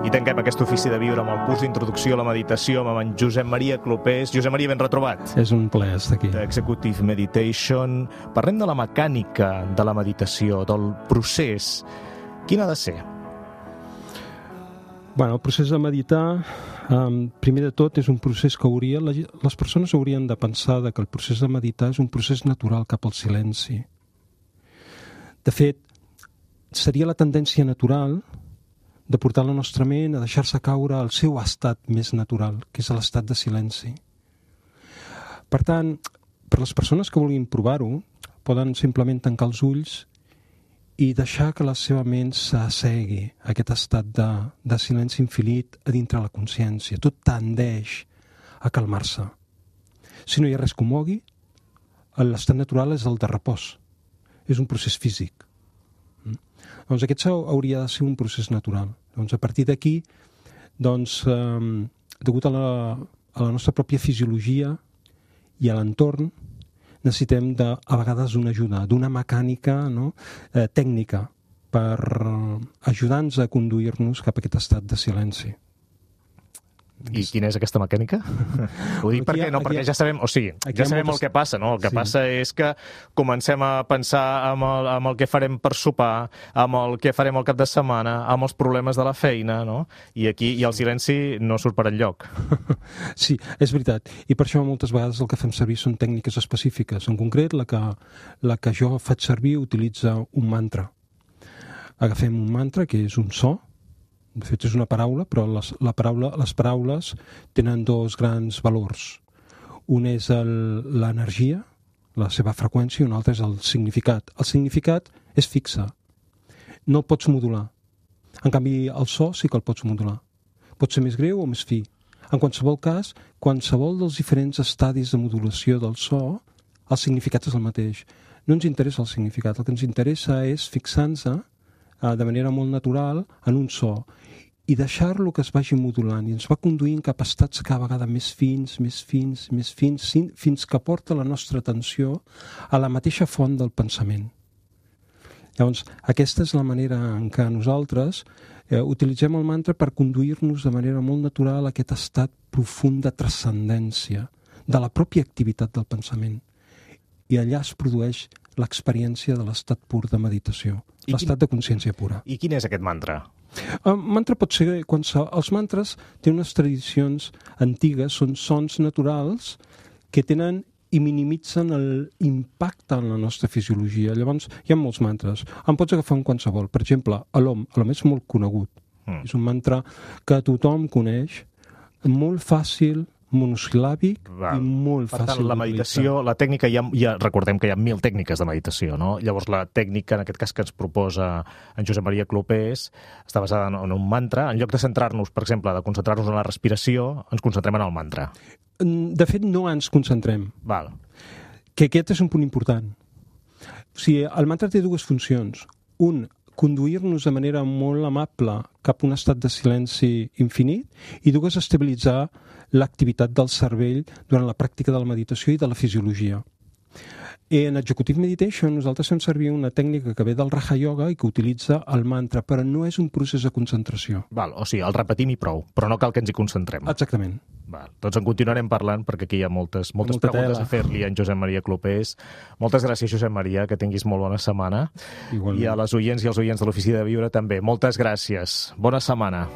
I tanquem aquest ofici de viure amb el curs d'introducció a la meditació amb en Josep Maria Clopés. Josep Maria, ben retrobat. És un plaer estar aquí. Executive Meditation. Parlem de la mecànica de la meditació, del procés. Quin ha de ser? Bueno, el procés de meditar, primer de tot, és un procés que les persones haurien de pensar que el procés de meditar és un procés natural cap al silenci. De fet, seria la tendència natural de portar la nostra ment a deixar-se caure al seu estat més natural, que és l'estat de silenci. Per tant, per les persones que vulguin provar-ho, poden simplement tancar els ulls i deixar que la seva ment s'assegui a aquest estat de silenci infinit a dintre la consciència. Tot tendeix a calmar-se. Si no hi ha res que ho mogui, l'estat natural és el de repòs. És un procés físic. Doncs aquest hauria de ser un procés natural. Doncs a partir d'aquí, degut a la nostra pròpia fisiologia i a l'entorn, necessitem a vegades una ajuda, d'una mecànica tècnica per ajudar-nos a conduir-nos cap a aquest estat de silenci. I quina és aquesta mecànica? Ho dic perquè ja sabem, ja sabem el que passa, no? El que passa és que comencem a pensar amb el que farem per sopar, amb el que farem el cap de setmana, amb els problemes de la feina, no? I aquí el silenci no surt per enlloc. Sí, és veritat. I per això moltes vegades el que fem servir són tècniques específiques. En concret, la que jo faig servir utilitza un mantra. Agafem un mantra, que és un so. De fet, és una paraula, però les paraules tenen dos grans valors. Un és l'energia, la seva freqüència, i un altre és el significat. El significat és fixe. No el pots modular. En canvi, el so sí que el pots modular. Pot ser més greu o més fi. En qualsevol cas, qualsevol dels diferents estadis de modulació del so, el significat és el mateix. No ens interessa el significat. El que ens interessa és fixar-nos de manera molt natural en un so i deixar-lo que es vagi modulant i ens va conduint cap a estats cada vegada més fins, fins que porta la nostra atenció a la mateixa font del pensament. Llavors, aquesta és la manera en què nosaltres utilitzem el mantra per conduir-nos de manera molt natural a aquest estat profund de transcendència de la pròpia activitat del pensament. I allà es produeix l'experiència de l'estat pur de meditació, l'estat de consciència pura. I quin és aquest mantra? El mantra pot ser... Els mantres tenen unes tradicions antigues, són sons naturals que tenen i minimitzen l'impacte en la nostra fisiologia. Llavors, hi ha molts mantres. En pots agafar un qualsevol. Per exemple, l'Om és molt conegut. És un mantra que tothom coneix, molt fàcil, monosil·làbic i molt fàcil. Per tant, la meditació, la tècnica, ja recordem que hi ha 1000 tècniques de meditació, no? Llavors, la tècnica, en aquest cas que ens proposa en Josep Maria Clopés, està basada en un mantra. En lloc de centrar-nos, per exemple, de concentrar-nos en la respiració, ens concentrem en el mantra. De fet, no ens concentrem. Val. Que aquest és un punt important. O sigui, el mantra té dues funcions. Un, conduir-nos de manera molt amable cap a un estat de silenci infinit, i dues, estabilitzar l'activitat del cervell durant la pràctica de la meditació i de la fisiologia. En Executive Meditation nosaltres fem servir una tècnica que ve del Raja Yoga i que utilitza el mantra, però no és un procés de concentració. Val, o sigui, el repetim i prou, però no cal que ens hi concentrem. Exactament. Val. Doncs en continuarem parlant perquè aquí hi ha moltes preguntes a fer-li a en Josep Maria Clopés. Moltes gràcies, Josep Maria, que tinguis molt bona setmana. Igualment. I a les oients i als oients de l'Ofici de Viure també. Moltes gràcies. Bona setmana.